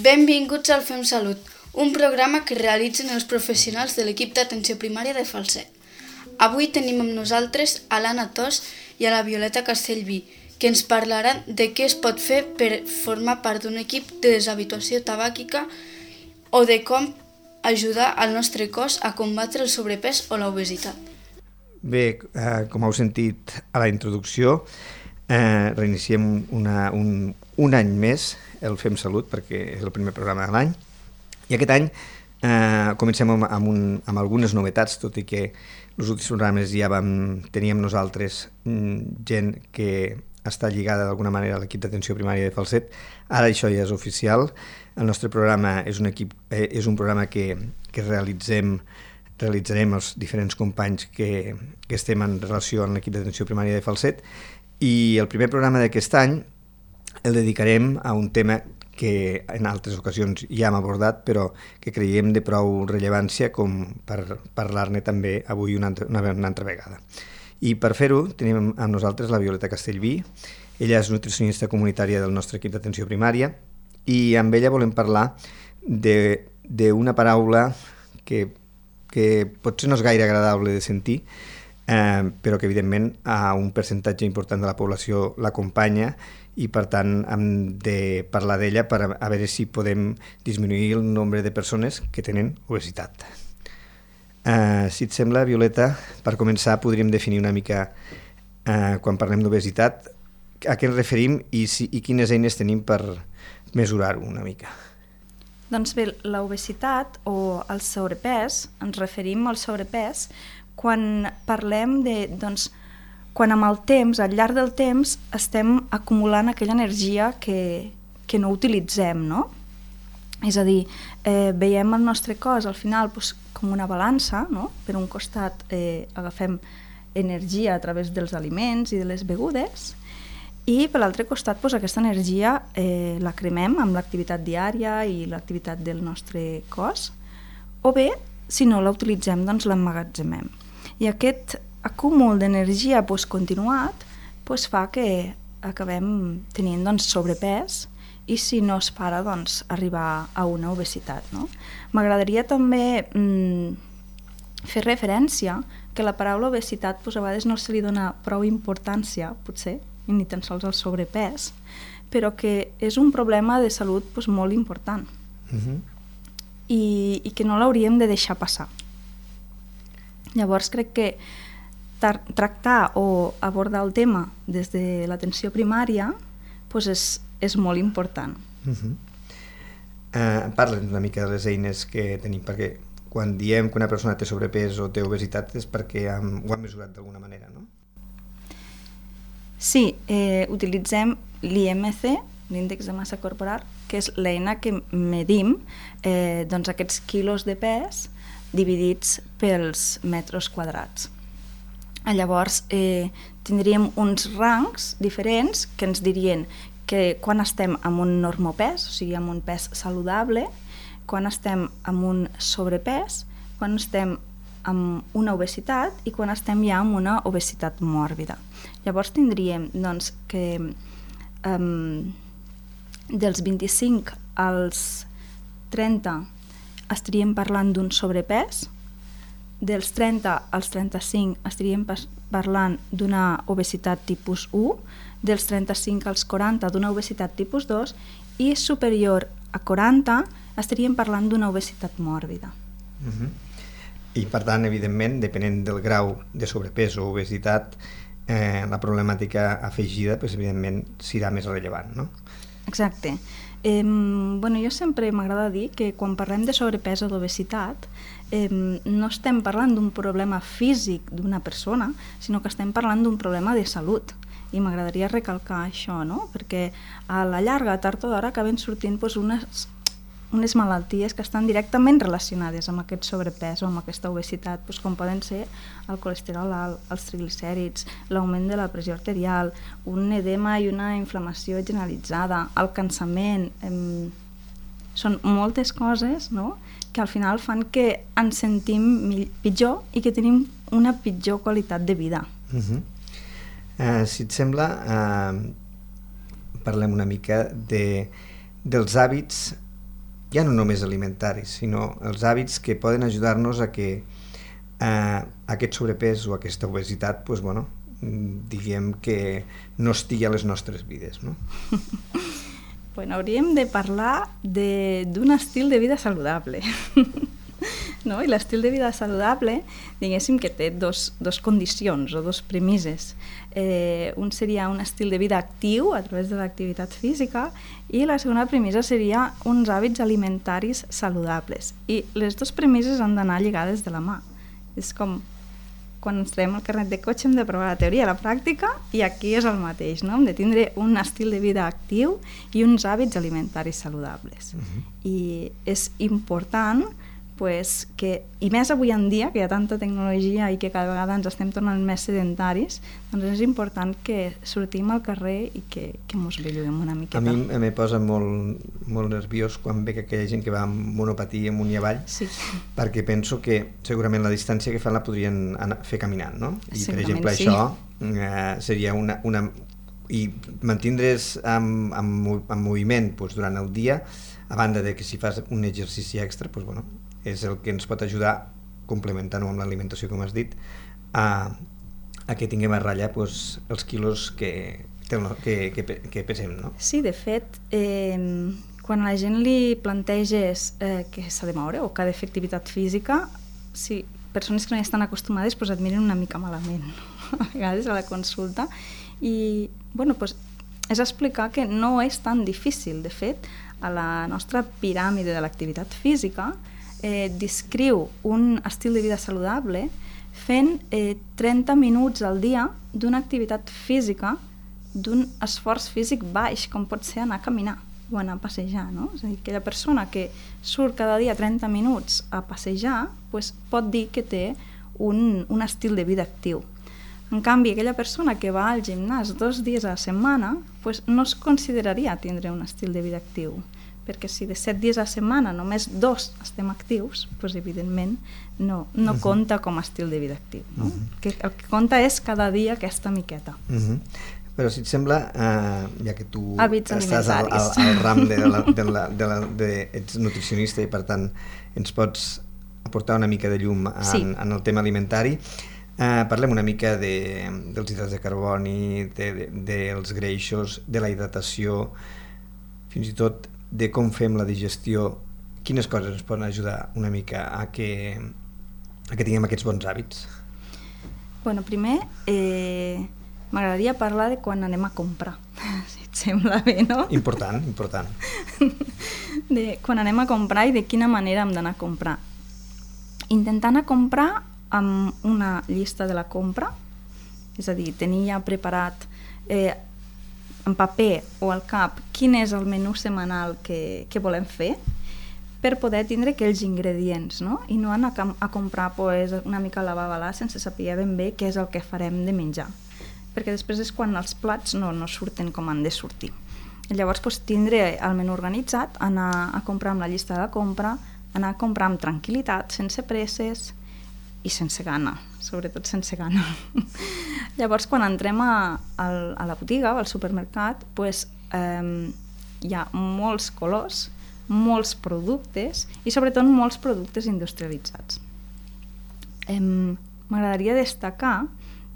Benvinguts al Fem Salut, un programa que realitzen els professionals de l'equip d'atenció primària de Falset. Avui tenim amb nosaltres a l'Anna Tos i a la Violeta Castellví, que ens parlaran de què es pot fer per formar part d'un equip de deshabituació tabàquica o de com ajudar al nostre cos a combatre el sobrepès o l'obesitat. Bé, com heu sentit a la introducció, reiniciem un any més el Fem Salut, perquè és el primer programa de l'any, i aquest any comencem amb algunes novetats, tot i que els últims programes ja teníem nosaltres gent que està lligada d'alguna manera a l'equip d'atenció primària de Falset. Ara això ja és oficial. El nostre programa és un programa que realitzarem els diferents companys que estem en relació amb l'equip d'atenció primària de Falset, i el primer programa d'aquest any el dedicarem a un tema que en altres ocasions ja hem abordat, però que creiem de prou rellevància com per parlar-ne també avui una altra vegada. I per fer-ho tenim amb nosaltres la Violeta Castellví. Ella és nutricionista comunitària del nostre equip d'atenció primària i amb ella volem parlar d'una paraula que potser no és gaire agradable de sentir, però que evidentment a un percentatge important de la població l'acompanya, i per tant hem de parlar d'ella per a veure si podem disminuir el nombre de persones que tenen obesitat. Si et sembla, Violeta, per començar podríem definir una mica, quan parlem d'obesitat, a què ens referim i quines eines tenim per mesurar-ho una mica. Doncs bé, l'obesitat o el sobrepès, ens referim al sobrepès quan parlem de... quan amb el temps, al llarg del temps, estem acumulant aquella energia que no utilitzem, no? És a dir, veiem el nostre cos al final com una balança, no? Per un costat agafem energia a través dels aliments i de les begudes, i per l'altre costat aquesta energia la cremem amb l'activitat diària i l'activitat del nostre cos, o bé, si no la utilitzem, doncs l'emmagatzemem. I aquest acúmul d'energia continuat fa que acabem tenint sobrepès i si no es para arribar a una obesitat. No? M'agradaria també fer referència que la paraula obesitat a vegades no se li dona prou importància, potser, ni tan sols al sobrepès, però que és un problema de salut molt important i que no l'hauríem de deixar passar. Llavors crec que tractar o abordar el tema des de l'atenció primària és molt important. Parla'ns una mica de les eines que tenim, perquè quan diem que una persona té sobrepès o té obesitat és perquè ho hem mesurat d'alguna manera, no? Sí, utilitzem l'IMC, l'índex de massa corporal, que és l'eina que medim aquests quilos de pes dividits pels metres quadrats. Llavors tindríem uns rangs diferents que ens dirien que quan estem amb un normopès, o sigui amb un pes saludable, quan estem amb un sobrepès, quan estem amb una obesitat i quan estem ja amb una obesitat mòrbida. Llavors tindríem que dels 25 als 30 estaríem parlant d'un sobrepès, dels 30 als 35 estaríem parlant d'una obesitat tipus 1, dels 35 als 40 d'una obesitat tipus 2 i superior a 40 estaríem parlant d'una obesitat mòrbida. I per tant, evidentment, depenent del grau de sobrepès o obesitat, la problemàtica afegida, evidentment, serà més rellevant, no? Exacte. Jo sempre m'agrada dir que quan parlem de sobrepès o d'obesitat no estem parlant d'un problema físic d'una persona, sinó que estem parlant d'un problema de salut. I m'agradaria recalcar això, no? Perquè a la llarga, tard o d'hora, acaben sortint unes malalties que estan directament relacionades amb aquest sobrepès o amb aquesta obesitat, com poden ser el colesterol alt, els triglicèrids, l'augment de la pressió arterial, un edema i una inflamació generalitzada, el cansament. Són moltes coses, no?, que al final fan que ens sentim pitjor i que tenim una pitjor qualitat de vida. Si et sembla, parlem una mica dels hàbits ja no només alimentaris, sinó els hàbits que poden ajudar-nos a que aquest sobrepès o aquesta obesitat, doncs, bueno, diguem que no estigui a les nostres vides, no? Bueno, hauríem de parlar d'un estil de vida saludable. No? I l'estil de vida saludable, diguéssim que té dos condicions o dos premisses. Un seria un estil de vida actiu a través de l'activitat física i la segona premissa seria uns hàbits alimentaris saludables. I les dues premisses han d'anar lligades de la mà. És com quan ens traiem el carnet de cotxe hem de provar la teoria i la pràctica, i aquí és el mateix, no? Hem de tindre un estil de vida actiu i uns hàbits alimentaris saludables. I és important pues, i més avui en dia, que hi ha tanta tecnologia i que cada vegada ens estem tornant més sedentaris, doncs és important que sortim al carrer i que mos belluguem una miqueta. A mi me posa molt nerviós quan veig aquella gent que va amb monopatí amunt i avall, sí. Perquè penso que segurament la distància que fan la podrien fer caminant, no? I per exemple sí. Això seria i mantindre's en moviment doncs, durant el dia, a banda de que si fas un exercici extra, doncs, bueno, és el que ens pot ajudar, complementant-ho amb l'alimentació, com has dit, a que tinguem a ratlla doncs, els quilos que pesem, no? Sí, de fet, quan a la gent li planteges que s'ha de moure o que ha de fer activitat física, si persones que no hi estan acostumades doncs et miren una mica malament, a vegades a la consulta, i bueno, doncs, és explicar que no és tan difícil. De fet, a la nostra piràmide de l'activitat física descriu un estil de vida saludable fent 30 minuts al dia d'una activitat física, d'un esforç físic baix, com pot ser anar a caminar o anar a passejar, no? És a dir, aquella persona que surt cada dia 30 minuts a passejar doncs pot dir que té un estil de vida actiu. En canvi, aquella persona que va al gimnàs 2 dies a la setmana doncs no es consideraria tindre un estil de vida actiu, perquè si de 7 dies a la setmana només 2 estem actius, doncs evidentment no compta com a estil de vida actiu, no? El que compta és cada dia aquesta miqueta. Però si et sembla, ja que tu estàs al ram ets nutricionista i per tant ens pots aportar una mica de llum en el tema alimentari, parlem una mica dels hidrats de carboni, dels greixos, de la hidratació, fins i tot de com fem la digestió. Quines coses ens poden ajudar una mica a que tinguem aquests bons hàbits? Bueno, primer m'agradaria parlar de quan anem a comprar, si et sembla bé, no? Important. De quan anem a comprar i de quina manera hem d'anar a comprar. Intentant a comprar amb una llista de la compra, és a dir, tenir ja preparat en paper o al cap quin és el menú setmanal que volem fer, per poder tindre aquells ingredients, no? I no anar a comprar pues, una mica a la babalà sense saber ben bé què és el que farem de menjar, perquè després és quan els plats no surten com han de sortir. I llavors pues, tindre el menú organitzat, anar a comprar amb la llista de la compra, anar a comprar amb tranquil·litat, sense presses i sense gana, sobretot sense gana. Llavors, quan entrem a la botiga o al supermercat, pues, hi ha molts colors, molts productes i sobretot molts productes industrialitzats. M'agradaria destacar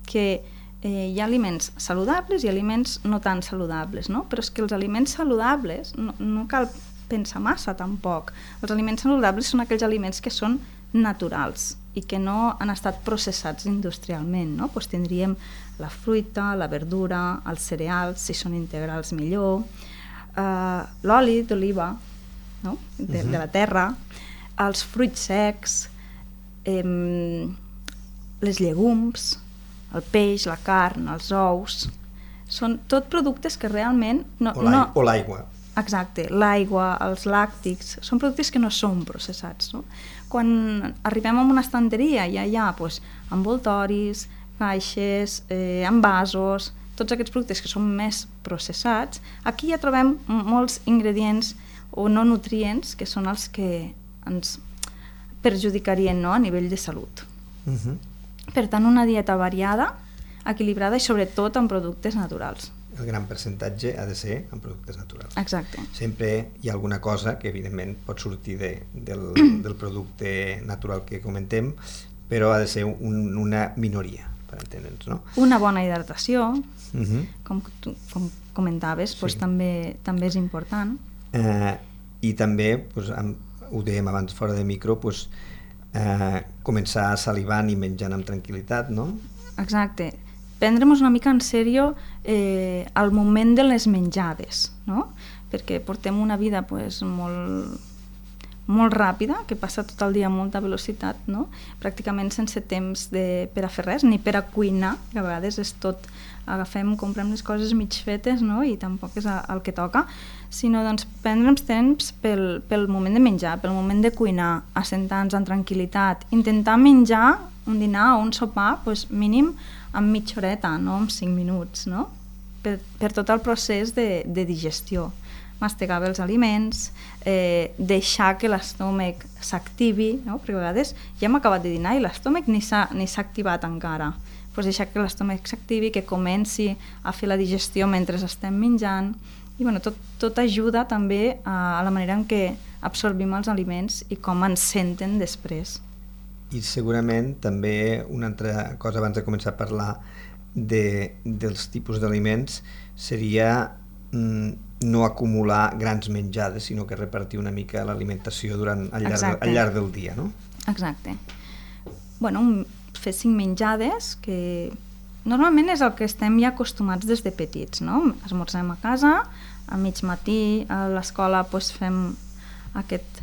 que hi ha aliments saludables i aliments no tan saludables, no? Però és que els aliments saludables no cal pensar massa tampoc. Els aliments saludables són aquells aliments que són naturals i que no han estat processats industrialment, no? Pues tindríem la fruita, la verdura, els cereals, si són integrals millor, l'oli d'oliva, no? de la terra, els fruits secs, les llegums, el peix, la carn, els ous, són tot productes que realment o l'aigua. Exacte, l'aigua, els làctics, són productes que no són processats, no? Quan arribem a una estanteria ja hi ha pues, envoltoris, caixes, envasos, tots aquests productes que són més processats, aquí ja trobem molts ingredients o no nutrients que són els que ens perjudicarien, no? A nivell de salut. Per tant, una dieta variada, equilibrada i sobretot amb productes naturals. el gran percentatge ha de ser en productes naturals. Exacte. Sempre hi ha alguna cosa que evidentment pot sortir del producte natural que comentem, però ha de ser una minoria, per entendre'ns, no? Una bona hidratació, com comentaves, doncs també és important. I també, ho dèiem abans fora de micro, començar salivant i menjant amb tranquil·litat, no? Exacte. Prendre'ns una mica en sèrio al moment de les menjades, no? Perquè portem una vida molt ràpida, que passa tot el dia a molta velocitat, no? Pràcticament sense temps per a fer res, ni per a cuinar, que a vegades és tot, comprem les coses mig fetes, no? I tampoc és el que toca, sinó doncs prendre'ns temps pel moment de menjar, pel moment de cuinar, assentar-nos en tranquil·litat, intentar menjar un dinar o un sopar mínim en mitja horeta, no en 5 minuts, no? Per tot el procés de digestió. Mastegar bé els aliments, deixar que l'estómac s'activi, no? Perquè a vegades ja hem acabat de dinar i l'estómac ni s'ha activat encara. Pues deixar que l'estómac s'activi, que comenci a fer la digestió mentre estem menjant, i tot ajuda també a la manera en què absorbim els aliments i com ens senten després. I segurament també una altra cosa abans de començar a parlar dels tipus d'aliments seria no acumular grans menjades, sinó que repartir una mica l'alimentació al llarg del dia, no? Exacte. Fer 5 menjades, que normalment és el que estem ja acostumats des de petits, no? Esmorzem a casa, a mig matí a l'escola fem aquest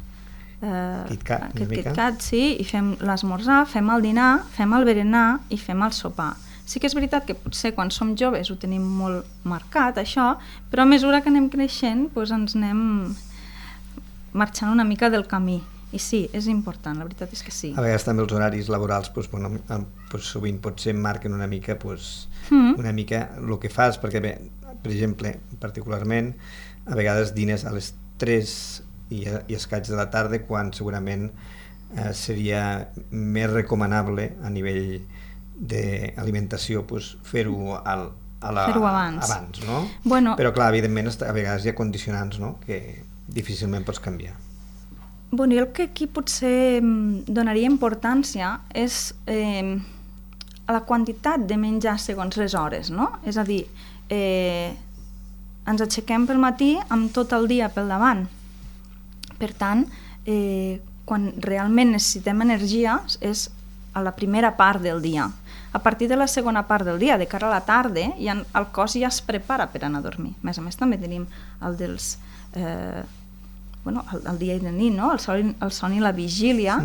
KitKat, sí, i fem l'esmorzar, fem el dinar, fem el berenar i fem el sopar. Sí que és veritat que potser quan som joves ho tenim molt marcat, això, però a mesura que anem creixent ens anem marxant una mica del camí. I sí, és important, la veritat és que sí. A vegades també els horaris laborals sovint potser marquen una mica el que fas, perquè bé, per exemple, particularment, a vegades dines a les 3 i escaig de la tarda, quan segurament seria més recomanable a nivell d'alimentació fer-ho abans, no? Però clar, evidentment a vegades hi ha condicionants, no?, que difícilment pots canviar. Jo el que aquí potser donaria importància és a la quantitat de menjar segons les hores, no? És a dir, ens aixequem pel matí amb tot el dia pel davant. Per tant, quan realment necessitem energia és a la primera part del dia. A partir de la segona part del dia, de cara a la tarda, el cos ja es prepara per anar a dormir. A més també tenim el dia i la nit, no? El son i la vigília,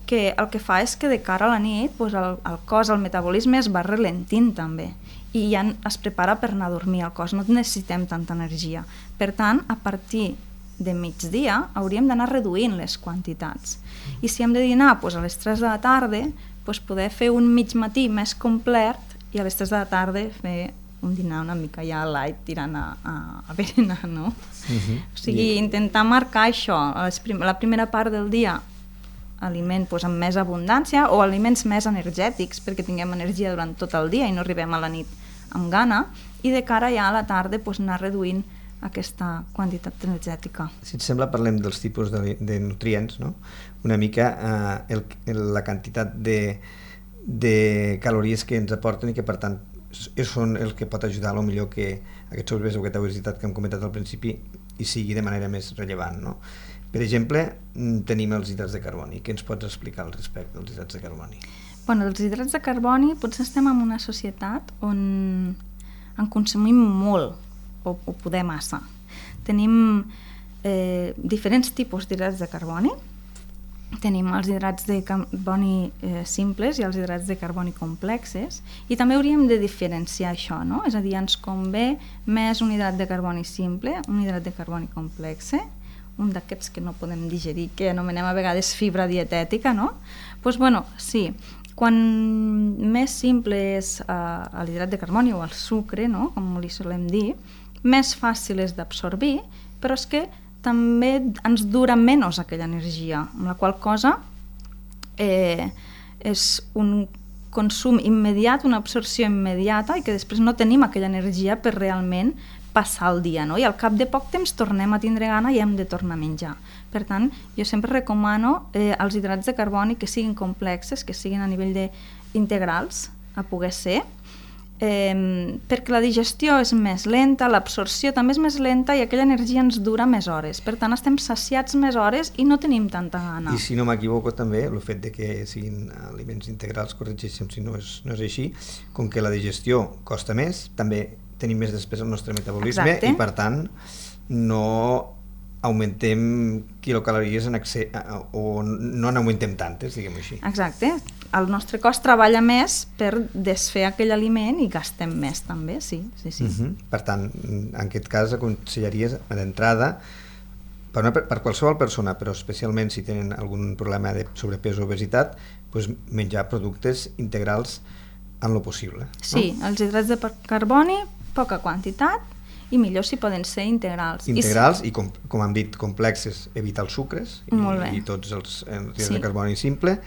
que el que fa és que de cara a la nit el cos, el metabolisme es va ralentint també, i ja es prepara per anar a dormir. El cos no necessitem tanta energia. Per tant, a partir de migdia hauríem d'anar reduint les quantitats. I si hem de dinar a les 3 de la tarda, poder fer un mig matí més complet i a les 3 de la tarda fer un dinar una mica ja light tirant a berenar, no? O sigui, intentar marcar això, la primera part del dia aliment amb més abundància o aliments més energètics perquè tinguem energia durant tot el dia i no arribem a la nit amb gana, i de cara ja a la tarda anar reduint aquesta quantitat energètica. Si et sembla, parlem dels tipus de nutrients, no? Una mica la quantitat de calories que ens aporten i que per tant són el que pot ajudar millor que aquest sobrepès o aquesta obesitat que hem comentat al principi i sigui de manera més rellevant, no? Per exemple, tenim els hidrats de carboni. Què ens pots explicar al respecte dels hidrats de carboni? Els hidrats de carboni potser estem en una societat on en consumim molt o poder massa. Tenim diferents tipus d'hidrats de carboni. Tenim els hidrats de carboni simples i els hidrats de carboni complexes, i també hauríem de diferenciar això, no? És a dir, ens convé més un hidrat de carboni simple, un hidrat de carboni complexe, un d'aquests que no podem digerir, que anomenem a vegades fibra dietètica, no? Sí, quan més simple és l'hidrat de carboni o el sucre, no?, com li solem dir, més fàcil és d'absorbir, però és que també ens dura menys aquella energia, amb la qual cosa és un consum immediat, una absorció immediata, i que després no tenim aquella energia per realment passar el dia, no? I al cap de poc temps tornem a tindre gana i hem de tornar a menjar. Per tant, jo sempre recomano els hidrats de carboni que siguin complexes, que siguin a nivell d'integrals, a poder ser, perquè la digestió és més lenta, l'absorció també és més lenta i aquella energia ens dura més hores. Per tant, estem saciats més hores i no tenim tanta gana. I si no m'equivoco també, el fet de que siguin aliments integrals, corregeixen si no és així, com que la digestió costa més, també tenim més despesa al nostre metabolisme. Exacte. I per tant no augmentem quilocalories en excés, o no n'augmentem tantes, diguem-ho així. Exacte. El nostre cos treballa més per desfer aquell aliment i gastem més també, sí. Per tant, en aquest cas aconsellaries d'entrada per qualsevol persona, però especialment si tenen algun problema de sobrepès o obesitat, doncs menjar productes integrals en lo possible. Sí, els hidrats de carboni, poca quantitat, i millor si poden ser integrals. Integrals i com hem dit, complexes, evitar els sucres i tots els hidrats de carboni simple,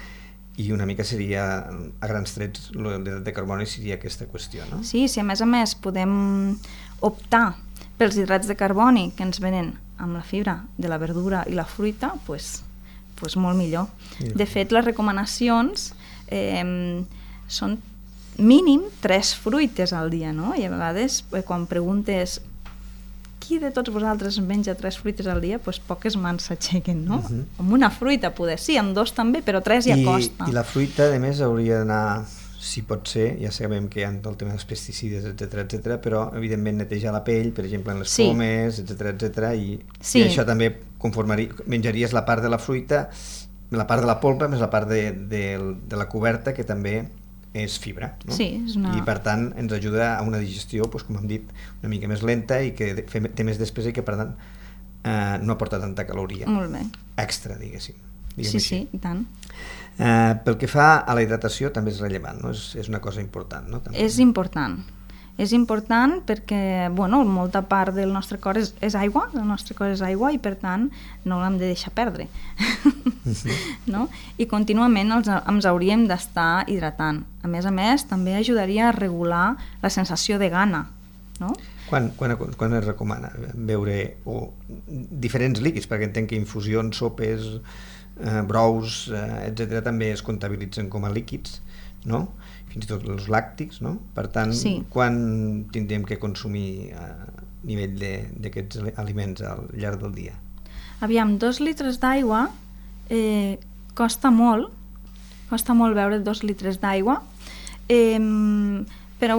i una mica seria, a grans trets, l'hidrat de carboni seria aquesta qüestió, no? Sí, si a més podem optar pels hidrats de carboni que ens venen amb la fibra de la verdura i la fruita, doncs molt millor. De fet, les recomanacions són mínim 3 fruites al dia, no? I a vegades, quan preguntes qui de tots vosaltres menja 3 fruites al dia, doncs poques mans s'aixequen, no? Amb una fruita, poder sí, amb 2 també, però 3 ja costa. I la fruita, a més, hauria d'anar, si pot ser, ja sabem que hi ha el tema dels pesticides, etc, però evidentment netejar la pell, per exemple, en les pomes, etc, i això també menjaries la part de la fruita, la part de la polpa més la part de la coberta, que també és fibra, no? Sí, I per tant ens ajuda a una digestió, com hem dit, una mica més lenta i que té més despesa i que per tant no aporta tanta caloria extra, diguéssim. Sí, i tant. Pel que fa a la hidratació també és rellevant, no? És una cosa important, no? És important perquè, molta part del nostre cor és aigua, el nostre cor és aigua i per tant no l'hem de deixar perdre. No? I contínuament ens hauríem d'estar hidratant. A més, també ajudaria a regular la sensació de gana, no? Quan es recomana beure diferents líquids? Perquè entenc que infusions, sopes, brous, etc. també es comptabilitzen com a líquids, no? Fins i tot els làctics, no? Per tant, quan tindríem que consumir a nivell d'aquests aliments al llarg del dia? Aviam, 2 litres d'aigua costa molt beure 2 litres d'aigua, però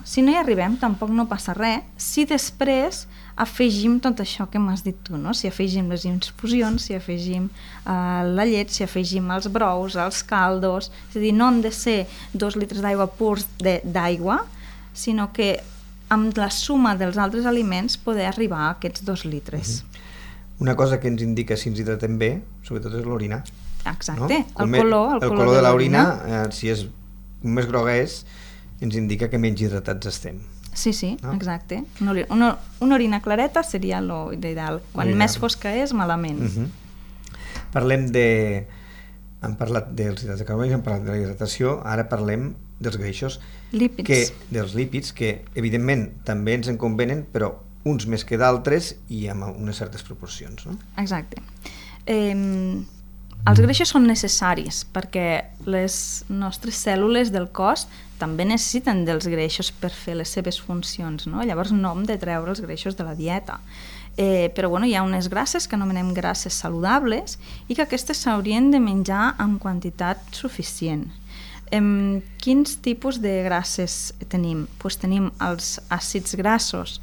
si no hi arribem tampoc no passa res si després afegim tot això que m'has dit tu, no? Si afegim les infusions, si afegim la llet, si afegim els brous, els caldos, és a dir, no han de ser 2 litres d'aigua purs d'aigua, sinó que amb la suma dels altres aliments poder arribar a aquests 2 litres. Una cosa que ens indica si ens hidratem bé, sobretot és l'orina. Exacte, no? El color de l'orina, si és més groga és, ens indica que menys hidratats estem. Sí, no? Exacte. Una orina clareta seria l'ideal. Quan més fosca és, malament. Hem parlat dels hidrats de carboni, hem parlat de la hidratació, ara parlem dels greixos. Dels lípids, que evidentment també ens en convenen, però uns més que d'altres i amb unes certes proporcions, no? Exacte. Els greixos són necessaris perquè les nostres cèl·lules del cos també necessiten dels greixos per fer les seves funcions, no? Llavors no hem de treure els greixos de la dieta. Però hi ha unes grasses que anomenem grasses saludables i que aquestes s'haurien de menjar en quantitat suficient. Quins tipus de grasses tenim? Tenim els àcids grassos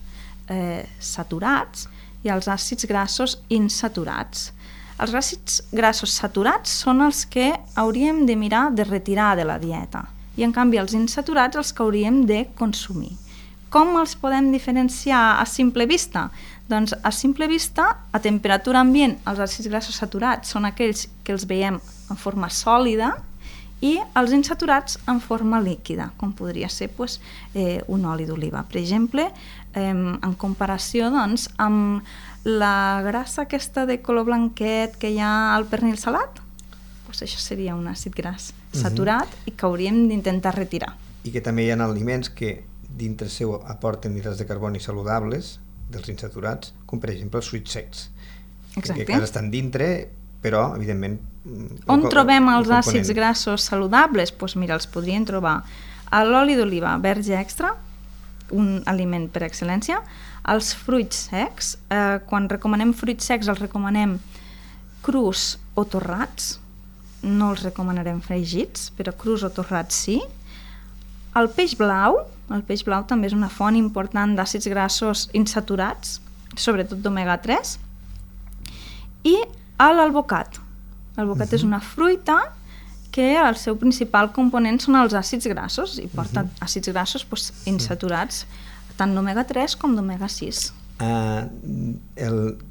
saturats i els àcids grassos insaturats. Els àcids grassos saturats són els que hauríem de mirar de retirar de la dieta i en canvi els insaturats els que hauríem de consumir. Com els podem diferenciar a simple vista? Doncs a simple vista, a temperatura ambient, els àcids grassos saturats són aquells que els veiem en forma sòlida i els insaturats en forma líquida, com podria ser un oli d'oliva. Per exemple, en comparació amb la grassa aquesta de color blanquet que hi ha al pernil salat, això seria un àcid gras saturat i que hauríem d'intentar retirar. I que també hi ha aliments que dintre seu aporten hidrats de carboni saludables dels insaturats, com per exemple els fruits secs. Exacte. Que estan dintre, però evidentment... On trobem els àcids grassos saludables? Doncs mira, els podríem trobar a l'oli d'oliva verge extra, un aliment per excel·lència, els fruits secs. Quan recomanem fruits secs els recomanem crus o torrats, no els recomanarem fregits, però crus o torrats sí. El peix blau també és una font important d'àcids grassos insaturats, sobretot d'omega 3, i l'alvocat. L'alvocat és una fruita que el seu principal component són els àcids grassos i porta àcids grassos insaturats tant d'omega 3 com d'omega 6.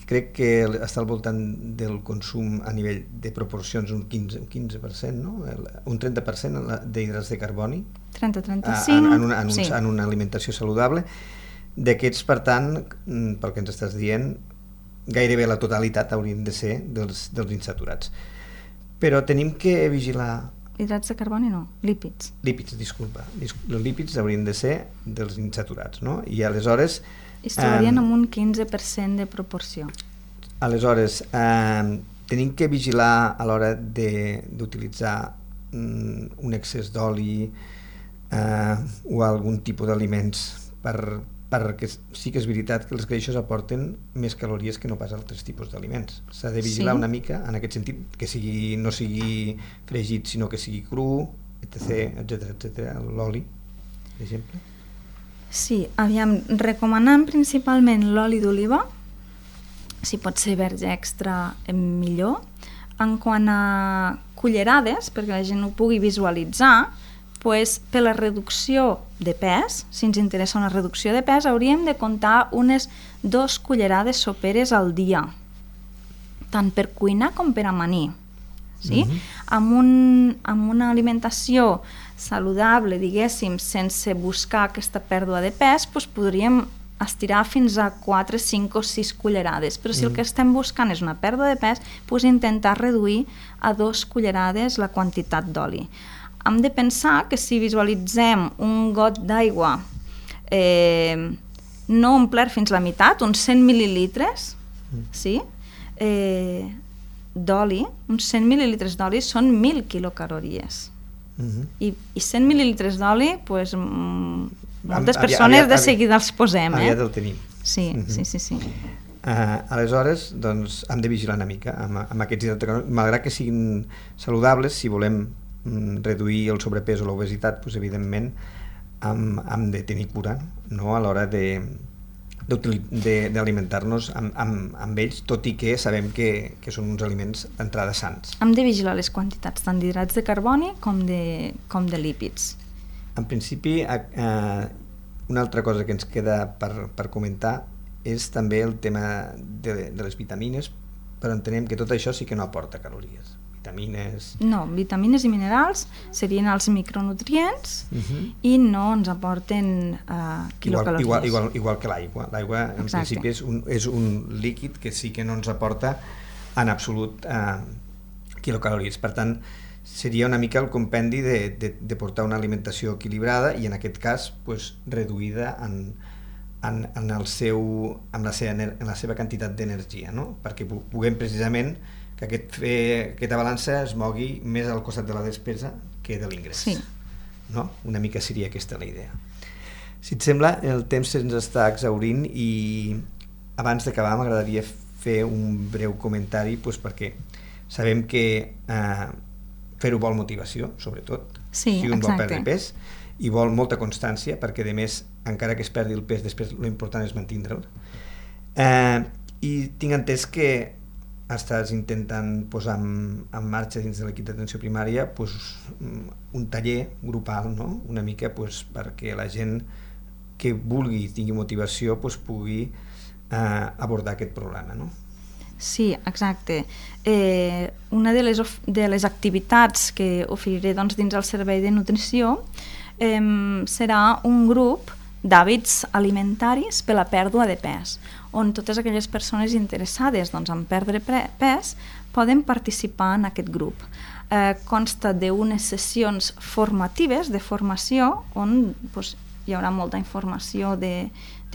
Crec que està al voltant del consum a nivell de proporcions un 15%, no? Un 30% d'hidrats de carboni 30-35 en una alimentació saludable. D'aquests, per tant, pel que ens estàs dient, gairebé la totalitat haurien de ser dels insaturats. Però tenim que vigilar... Hidrats de carboni no, lípids. Lípids, disculpa. Els lípids haurien de ser dels insaturats, no? I aleshores... Es trobarien amb un 15% de proporció. Aleshores, tenim que vigilar a l'hora d'utilitzar un excés d'oli o algun tipus d'aliments perquè sí que és veritat que els greixos aporten més calories que no pas altres tipus d'aliments. S'ha de vigilar una mica en aquest sentit, que no sigui fregit, sinó que sigui cru, etc. L'oli, per exemple. Sí, recomanant principalment l'oli d'oliva, si pot ser verge extra millor. En quant a cullerades, perquè la gent ho pugui visualitzar, per la reducció de pes, si ens interessa una reducció de pes, hauríem de comptar unes 2 cullerades soperes al dia, tant per cuinar com per amanir. Sí? Amb una alimentació saludable, diguéssim, sense buscar aquesta pèrdua de pes, podríem estirar fins a 4, 5 o 6 cullerades, però si el que estem buscant és una pèrdua de pes, intentar reduir a 2 cullerades la quantitat d'oli. Hem de pensar que si visualitzem un got d'aigua no omplert fins la meitat, uns 100 mil·lilitres, sí? D'oli, uns 100 mil·lilitres d'oli són 1.000 quilocalories. I 100 mil·lilitres d'oli, moltes persones de seguida els posem. Aviat el tenim. Sí. Aleshores, doncs, hem de vigilar una mica amb aquests hidrats de carboni, malgrat que siguin saludables. Si volem reduir el sobrepès o l'obesitat, evidentment hem de tenir cura, no? A l'hora d'alimentar-nos amb ells, tot i que sabem que són uns aliments d'entrada sants. Hem de vigilar les quantitats tant d'hidrats de carboni com de lípids. En principi, una altra cosa que ens queda per comentar és també el tema de les vitamines, però entenem que tot això sí que no aporta calories. Vitamines i minerals serien els micronutrients i no ens aporten quilocalories. Igual que l'aigua. L'aigua en principi és un líquid que sí que no ens aporta en absolut quilocalories. Per tant, seria una mica el compendi de portar una alimentació equilibrada i en aquest cas reduïda en la seva quantitat d'energia, no? Perquè puguem precisament que aquesta balança es mogui més al costat de la despesa que de l'ingrés. Sí. No? Una mica seria aquesta la idea. Si et sembla, el temps se'ns està exhaurint i abans d'acabar m'agradaria fer un breu comentari perquè sabem que fer-ho vol motivació, sobretot. Sí, si un vol perdre pes i vol molta constància, perquè a més, encara que es perdi el pes, després l'important és mantindre'l. I tinc entès que estàs intentant posar en marxa dins de l'equip d'atenció primària un taller grupal, no? Una mica perquè la gent que vulgui, tingui motivació, pugui abordar aquest problema, no? Sí, exacte. Una de les activitats que oferiré dins el servei de nutrició serà un grup d'hàbits alimentaris per la pèrdua de pes, on totes aquelles persones interessades en perdre pes poden participar en aquest grup. consta d'unes sessions formatives, de formació, on hi haurà molta informació de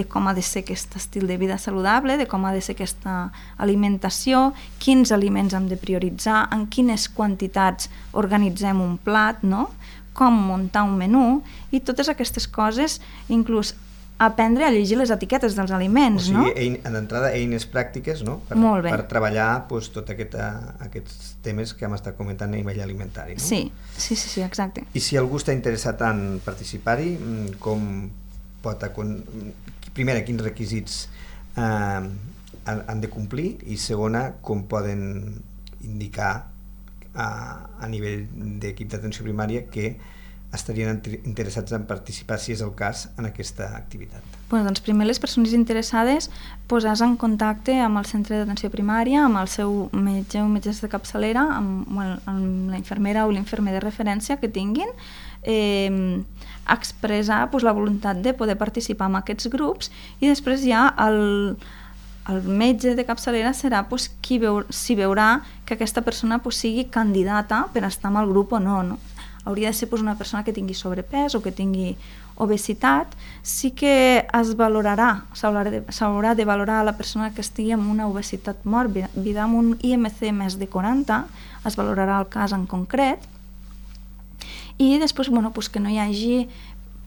com ha de ser aquest estil de vida saludable, de com ha de ser aquesta alimentació, quins aliments hem de prioritzar, en quines quantitats organitzem un plat, no? Com muntar un menú, i totes aquestes coses, inclús aprendre a llegir les etiquetes dels aliments, no? O sigui, d'entrada, eines pràctiques, no? Per treballar tots aquests temes que hem estat comentant a nivell alimentari, no? Sí, exacte. I si algú està interessat en participar-hi, com pot... Primera, quins requisits han de complir, i segona, com poden indicar a nivell d'equip d'atenció primària que estarien interessats en participar, si és el cas, en aquesta activitat. Doncs primer les persones interessades posar-se en contacte amb el centre d'atenció primària, amb el seu metge o metgessa de capçalera, amb la infermera o l'infermer de referència que tinguin, expressar la voluntat de poder participar en aquests grups, i després ja el metge de capçalera serà qui veurà que aquesta persona sigui candidata per estar en el grup o no. Hauria de ser una persona que tingui sobrepès o que tingui obesitat. Sí que es valorarà, s'haurà de valorar la persona que estigui amb una obesitat mòrbida, amb un IMC més de 40, es valorarà el cas en concret, i després que no hi hagi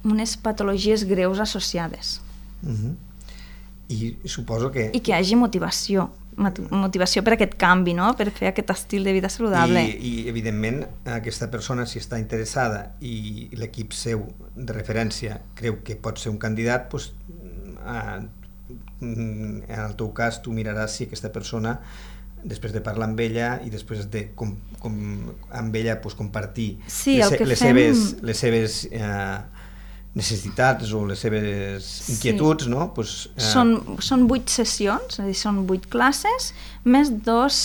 unes patologies greus associades. I suposo que... I que hi hagi motivació per aquest canvi, no? Per fer aquest estil de vida saludable. I evidentment, aquesta persona, si està interessada i l'equip seu de referència creu que pot ser un candidat, en el teu cas tu miraràs si aquesta persona, després de parlar amb ella i després de amb ella compartir les seves necessitats o les seves inquietuds, no? Són 8 sessions, és a dir, són 8 classes, més 2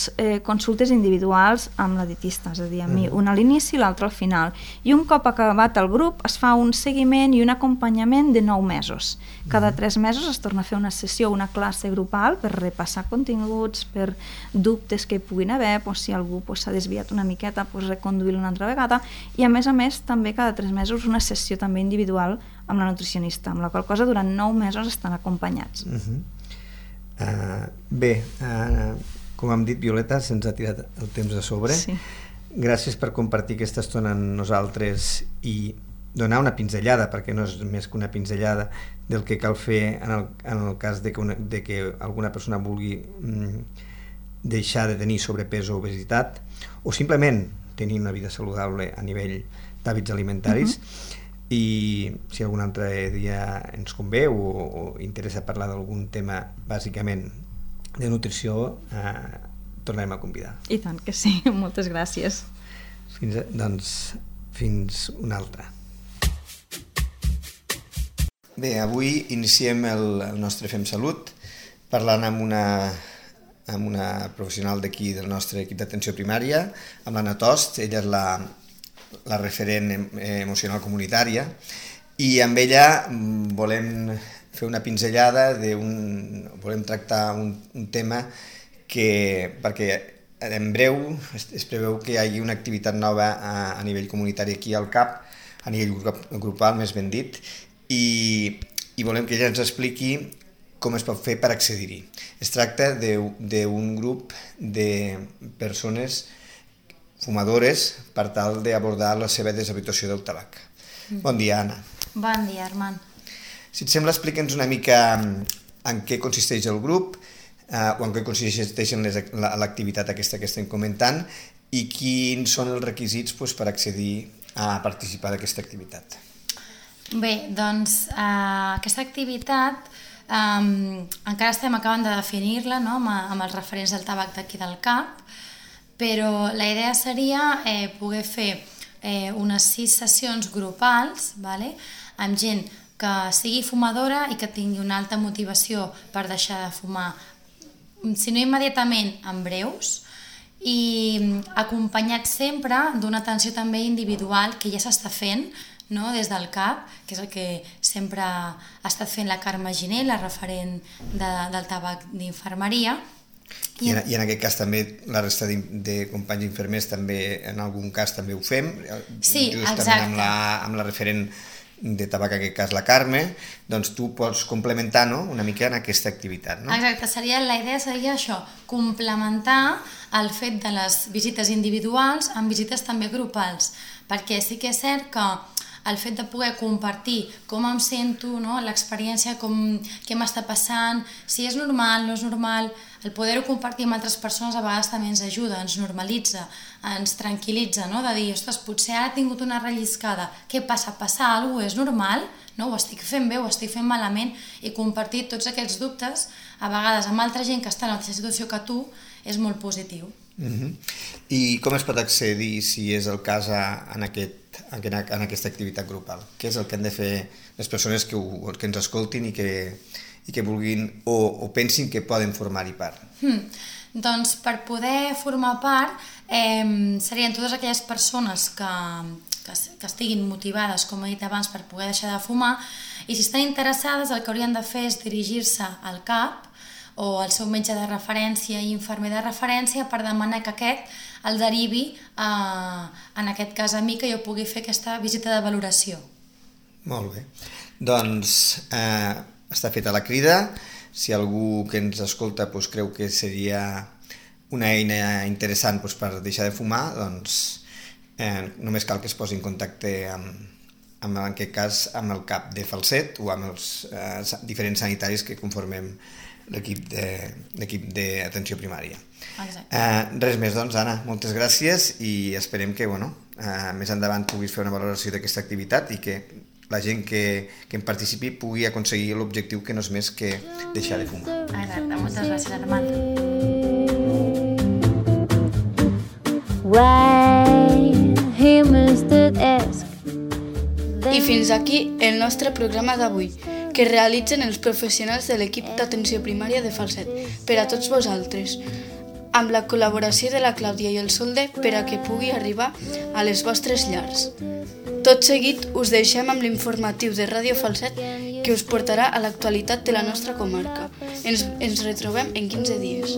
consultes individuals amb la dietista, és a dir, una a l'inici i l'altra al final. I un cop acabat el grup es fa un seguiment i un acompanyament de 9 mesos. Cada 3 mesos es torna a fer una sessió, una classe grupal per repassar continguts, per dubtes que hi puguin haver, si algú s'ha desviat una miqueta, reconduir-lo una altra vegada, i a més també cada 3 mesos una sessió també individual amb la nutricionista, amb la qual cosa durant 9 mesos estan acompanyats. Bé, com hem dit, Violeta, se'ns ha tirat el temps a sobre. Gràcies per compartir aquesta estona amb nosaltres i donar una pinzellada, perquè no és més que una pinzellada, del que cal fer en el cas de que alguna persona vulgui deixar de tenir sobrepès o obesitat, o simplement tenir una vida saludable a nivell d'hàbits alimentaris. I si algun altre dia ens convé o interessa parlar d'algun tema bàsicament de nutrició, tornarem a convidar. I tant que sí, moltes gràcies. Fins una altra. Bé, avui iniciem el nostre Fem Salut parlant amb una professional d'aquí del nostre equip d'atenció primària, amb l'Anna Tost. Ella és la referent emocional comunitària, i amb ella volem fer una pinzellada, volem tractar un tema perquè en breu es preveu que hi hagi una activitat nova a nivell comunitari aquí al CAP, a nivell grupal, més ben dit, i volem que ella ens expliqui com es pot fer per accedir-hi. Es tracta d'un grup de persones fumadores per tal d'abordar la seva deshabituació del tabac. Bon dia, Anna. Bon dia, Armand. Si et sembla, explica'ns una mica en què consisteix el grup o en què consisteix l'activitat aquesta que estem comentant i quins són els requisits per accedir a participar d'aquesta activitat. Bé, doncs aquesta activitat encara estem acabant de definir-la, no? amb els referents del tabac d'aquí del CAP, però la idea seria poder fer unes 6 sessions grupals, amb gent que sigui fumadora i que tingui una alta motivació per deixar de fumar, si no immediatament, en breus, i acompanyat sempre d'una atenció també individual que ja s'està fent, no? Des del CAP, que és el que sempre ha estat fent la Carme Giné, la referent del tabac d'infermeria, I en aquest cas també la resta de companys infermers també en algun cas també ho fem, sí, justament amb la referent de tabac, en aquest cas la Carme, doncs tu pots complementar, no?, una mica en aquesta activitat, no? Exacte, la idea seria això, complementar el fet de les visites individuals amb visites també grupals, perquè sí que és cert que el fet de poder compartir com em sento, no? L'experiència, què m'està passant, si és normal, no és normal, el poder-ho compartir amb altres persones a vegades també ens ajuda, ens normalitza, ens tranquil·litza, no? De dir, ostres, potser ara he tingut una relliscada, què passa? Passa alguna cosa? És normal? No? Ho estic fent bé, ho estic fent malament? I compartir tots aquests dubtes, a vegades amb altra gent que està en la mateixa situació que tu, és molt positiu. I com es pot accedir, si és el cas, en aquesta activitat grupal? Què és el que han de fer les persones que ens escoltin i que vulguin o pensin que poden formar-hi part? Doncs per poder formar part serien totes aquelles persones que estiguin motivades, com he dit abans, per poder deixar de fumar, i si estan interessades el que haurien de fer és dirigir-se al CAP o al seu metge de referència i infermer de referència per demanar que aquest el derivi, en aquest cas a mi, que jo pugui fer aquesta visita de valoració. Molt bé. Doncs està feta la crida. Si algú que ens escolta creu que seria una eina interessant per deixar de fumar, doncs només cal que es posi en contacte en aquest cas amb el CAP de Falset o amb els diferents sanitaris que conformem l'equip d'atenció primària. Res més, doncs, Anna, moltes gràcies i esperem que més endavant puguis fer una valoració d'aquesta activitat i que la gent que en participi pugui aconseguir l'objectiu que no és més que deixar de fumar. Exacte, moltes gràcies, Armand. I fins aquí el nostre programa d'avui, que realitzen els professionals de l'equip d'atenció primària de Falset per a tots vosaltres, amb la col·laboració de la Clàudia i el Solde per a que pugui arribar a les vostres llars. Tot seguit us deixem amb l'informatiu de Ràdio Falset que us portarà a l'actualitat de la nostra comarca. Ens retrobem en 15 dies.